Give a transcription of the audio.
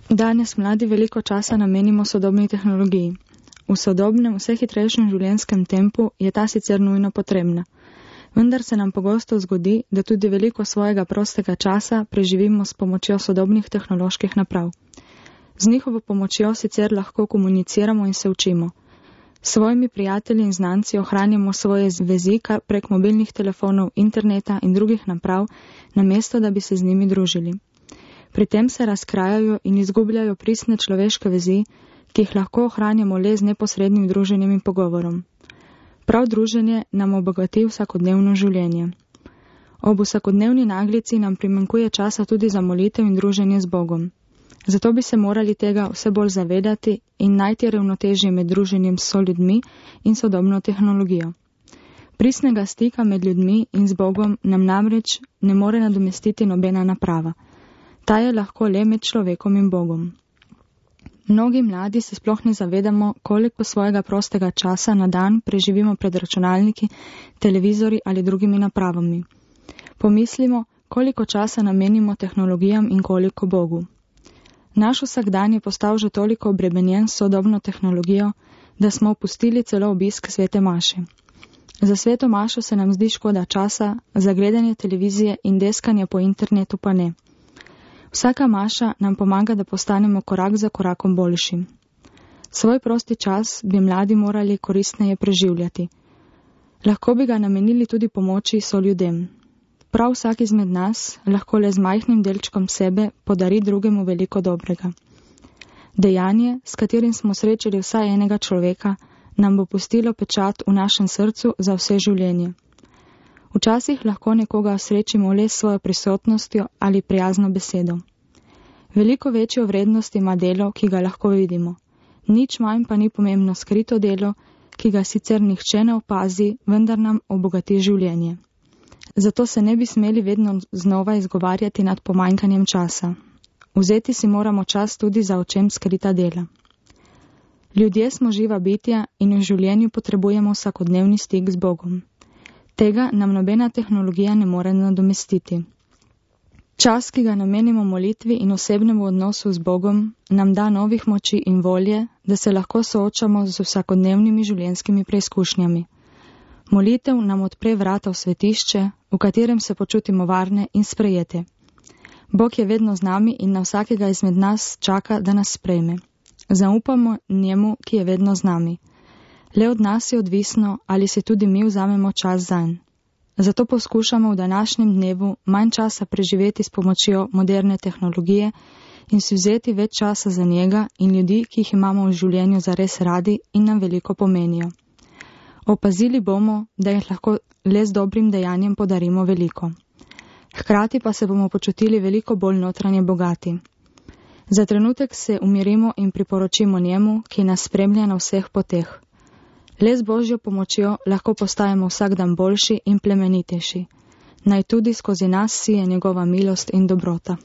Danes mladi veliko časa namenimo sodobni tehnologiji. V sodobnem, vse hitrejšem življenjskem tempu je ta sicer nujno potrebna. Vendar se nam pogosto zgodi, da tudi veliko svojega prostega časa preživimo s pomočjo sodobnih tehnoloških naprav. Z njihovo pomočjo sicer lahko komuniciramo in se učimo. S svojimi prijatelji in znanci ohranjamo svoje vezi prek mobilnih telefonov, interneta in drugih naprav, namesto da bi se z njimi družili. Pri tem se razkrajajo in izgubljajo pristne človeške vezi, ki jih lahko ohranjamo le z neposrednim druženjem in pogovorom. Prav druženje nam obogati vsakodnevno življenje. Ob vsakodnevni naglici nam primanjkuje časa tudi za molitev in druženje z Bogom. Zato bi se morali tega vse bolj zavedati in najti ravnotežje med druženjem s soljudmi in sodobno tehnologijo. Pristnega stika med ljudmi in z Bogom nam namreč ne more nadomestiti nobena naprava. Ta je lahko le med človekom in Bogom. Mnogi mladi se sploh ne zavedamo, koliko svojega prostega časa na dan preživimo pred računalniki, televizori ali drugimi napravami. Pomislimo, koliko časa namenimo tehnologijam in koliko Bogu. Naš vsakdan je postal že toliko obremenjen s sodobno tehnologijo, da smo opustili celo obisk svete maše. Za sveto mašo se nam zdi škoda časa, za gledanje televizije in deskanje po internetu pa ne. Vsaka maša nam pomaga, da postanemo korak za korakom boljši. Svoj prosti čas bi mladi morali koristneje preživljati. Lahko bi ga namenili tudi pomoči soljudem. Prav vsak izmed nas lahko le z majhnim delčkom sebe podari drugemu veliko dobrega. Dejanje, s katerim smo srečali vsaj enega človeka, nam bo pustilo pečat v našem srcu za vse življenje. Včasih lahko nekoga srečimo le s svojo prisotnostjo ali prijazno besedo. Veliko večjo vrednost ima delo, ki ga lahko vidimo. Nič manj pa ni pomembno skrito delo, ki ga sicer nihče ne opazi, vendar nam obogati življenje. Zato se ne bi smeli vedno znova izgovarjati nad pomanjkanjem časa. Vzeti si moramo čas tudi za očem skrita dela. Ljudje smo živa bitja in v življenju potrebujemo vsakodnevni stik z Bogom. Tega nam nobena tehnologija ne more nadomestiti. Čas, ki ga namenimo molitvi in osebnemu odnosu z Bogom, nam da novih moči in volje, da se lahko soočamo z vsakodnevnimi življenjskimi preizkušnjami. Molitev nam odpre vrata v svetišče, v katerem se počutimo varne in sprejete. Bog je vedno z nami in na vsakega izmed nas čaka, da nas sprejme. Zaupamo njemu, ki je vedno z nami. Le od nas je odvisno, ali si tudi mi vzamemo čas zanj. Zato poskušamo v današnjem dnevu manj časa preživeti s pomočjo moderne tehnologije in si vzeti več časa za njega in ljudi, ki jih imamo v življenju zares radi in nam veliko pomenijo. Opazili bomo, da jih lahko le z dobrim dejanjem podarimo veliko. Hkrati pa se bomo počutili veliko bolj notranje bogati. Za trenutek se umirimo in priporočimo njemu, ki nas spremlja na vseh poteh. Le z Božjo pomočjo lahko postajamo vsak dan boljši in plemenitejši. Naj tudi skozi nas sije njegova milost in dobrota.